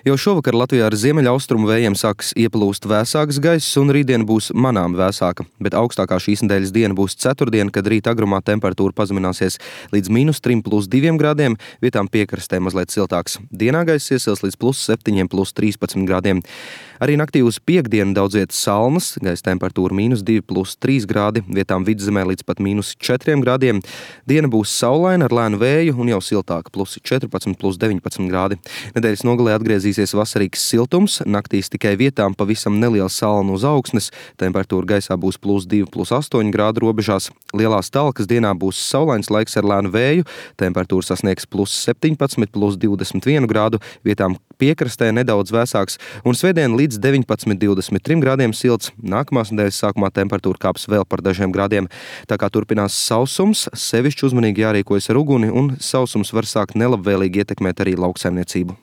Jau šovakar Latvijā ar ziemeļaustrumu vējiem sāks ieplūst vēsāks gaiss, un rītdiena būs manām vēsāka. Bet augstākā šīs nedēļas diena būs ceturtdiena, kad rīta agrumā temperatūra pazemināsies līdz -3 + 2 grādiem, vietām piekrastē mazliet siltāks. Dienā gaiss iesils līdz +7, +13 grādiem. Arī naktī uz piektdienu daudz vietas salnas, gaisa temperatūra -2 + 3 grādi, vietām vidzemē līdz pat -4 grādiem. Diena būs saulaina ar lēnu vēju un jau siltāka, +14, +19 grādi. Nedēļas nogalē atgriezīsies vasarīgs siltums, naktīs tikai vietām pavisam neliela salna uz augsnes, temperatūra gaisā būs +2, +8 grādu robežās. Lielās Talkas dienā būs saulains laiks ar lēnu vēju, temperatūra sasniegs +17, +21 grādu, vietām piekrastē nedaudz vēsāks, un svētdien līdz 19, 23 grādiem silts. Nākamās nedēļas sākumā temperatūra kāps vēl par dažiem grādiem. Tā kā turpinās sausums, sevišķi uzmanīgi jārīkojas ar uguni, un sausums var sākt nelabvēlīgi ietekmēt arī lauksaimniecību.